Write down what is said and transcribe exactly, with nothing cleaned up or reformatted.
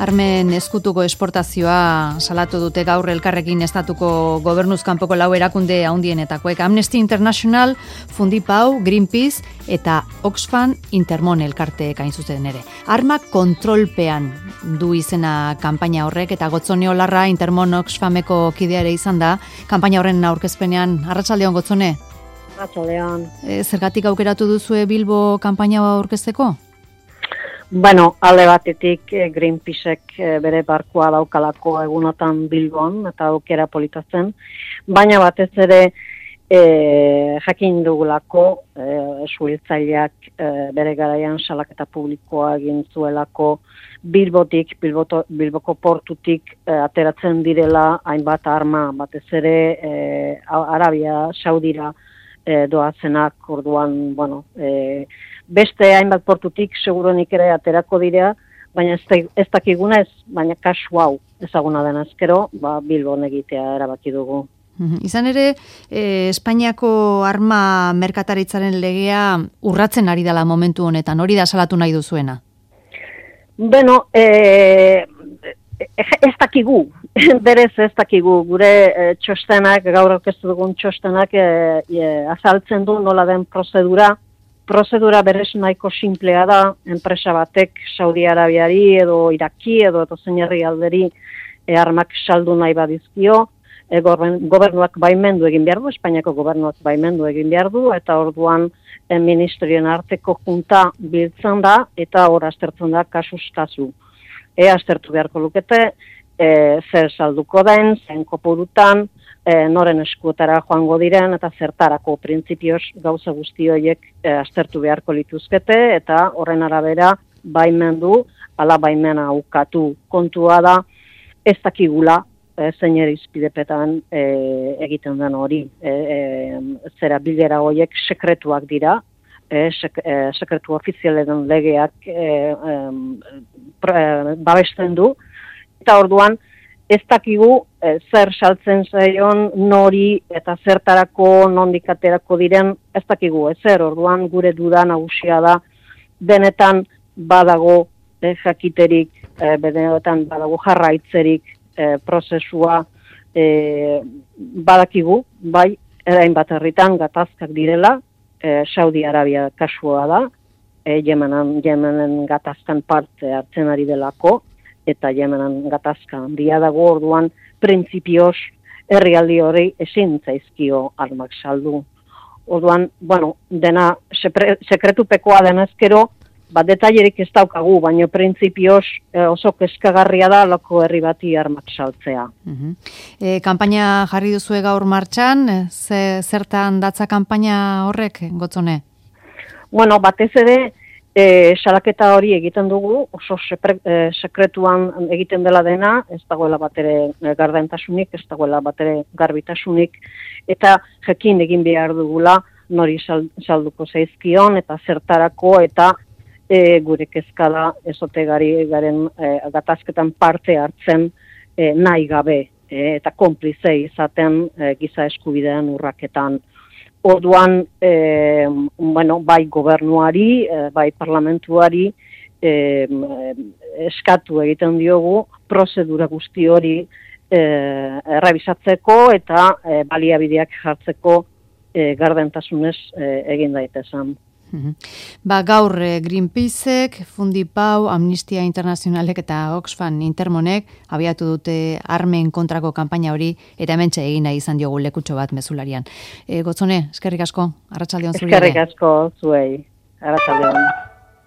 armen eskutuko esportazioa salatu dute gaur Elkarrekin estatuko gobernuz kanpoko lau erakunde handienetakoek. Amnesty International, Fundipau, Greenpeace eta Oxfam Intermon elkarteek hain zuzen ere. Armak kontrolpean du izena kanpaina horrek eta Gotzone Olarra Intermon Oxfameko kidea ere izan da. Kanpaina horren aurkezpenean, arratsaldeon Gotzone? Arratsaldeon. E, zergatik aukeratu duzue Bilbo kanpaina aurkezteko? Bueno, alde batetik Greenpeacek bere barkua daukalako egunotan Bilbon eta aukera politatzen, baina batez ere e, jakin dugulako e, suhiltzaileak e, bere garaian salaketa publikoa egin zuelako Bilbotik, Bilboto, Bilboko portutik e, ateratzen direla hainbat arma, batez ere e, Arabia Saudira e, doazenak, orduan, bueno, e, beste hainbat portutik seguruenik ere aterako dira, baina ez, ez dakiguna ez, baina kasu hau ezaguna den azkero, ba, Bilbon egitea erabaki dugu. Izan ere, eh, Espainiako arma merkataritzaren legea urratzen ari dela momentu honetan, hori da salatu nahi duzuena? Beno, eh, ez dakigu, berez ez dakigu, gure eh, txostenak, gaur aurkeztu dugun txostenak eh, eh, azaltzen du nola den prozedura. Prozedura berez nahiko simplea da, enpresa batek Saudi Arabiari edo Iraki edo edo zein herrialderi e, armak saldu nahi badizkio, e, gobernuak baimendu egin behar du, Espainiako gobernuak baimendu egin behar du, eta orduan e, ministerioen arteko junta biltzen da, eta hor aztertzen da kasuz kasu. E, aztertu beharko lukete, e, zer salduko den, zen kopurutan, E, noren eskuetara joango diren eta zertarako printzipioz gauza guzti horiek e, aztertu beharko lituzkete eta horren arabera baimendu, ala baimena ukatu. Kontua da ez dakigula e, zein irizpidepetan e, egiten den hori. E, e, zera bilera horiek sekretuak dira, e, sek, e, sekretu ofizialen legeak e, e, pre, babesten du, eta orduan ez dakigu e, zer saltzen zaion nori eta zertarako nondik aterako diren ez dakigu ezer, orduan gure duda nagusia da benetan badago e, jakiterik, e, benetan badago jarraitzerik e, prozesua e, badakigu, bai, erain bat herritan gatazkak direla, e, Saudi Arabia kasua da, e, Yemenan, Yemenen gatazkan parte hartzen ari delako, eta Yemenan gatazka handia dago, orduan printzipioz herrialdi hori ezin zaizkio armak saldu. Orduan, bueno, dena sekretupekoa denezkero, bat detailerik ez daukagu, baina printzipioz eh, oso kezkagarria da loko herri bati armak saltzea. Uh-huh. E, kanpaina jarri duzue gaur martxan, ze, zertan datza kanpaina horrek, Gotzone? Bueno, batez ere, E, salaketa hori egiten dugu, oso sepre, e, sekretuan egiten dela dena, ez dagoela batere gardentasunik, ez dagoela batere garbitasunik, eta jakin egin behar dugula nori salduko zaizkion, eta zertarako, eta e, gure kezkada ezotegari garen e, gatazketan parte hartzen e, nahi gabe, e, eta konplize izaten e, giza eskubidean urraketan. Orduan, eh, bueno, bai gobernuari, eh, bai parlamentuari eh, eskatu egiten diogu prozedura guzti hori eh, errebisatzeko eta eh, baliabideak jartzeko eh, gardentasunez eh, egin daitezen. Ba, gaur Greenpeacek, Fundipau, Amnistia Internazionalek eta Oxfam Intermonek abiatu dute armen kontrako kanpaina hori eta hementxe egin nahi izan diogu lekutxo bat mezularian. E, Gotzone, eskerrik asko, arratsaldeon zuri. Eskerrik asko zuei, arratsaldeon.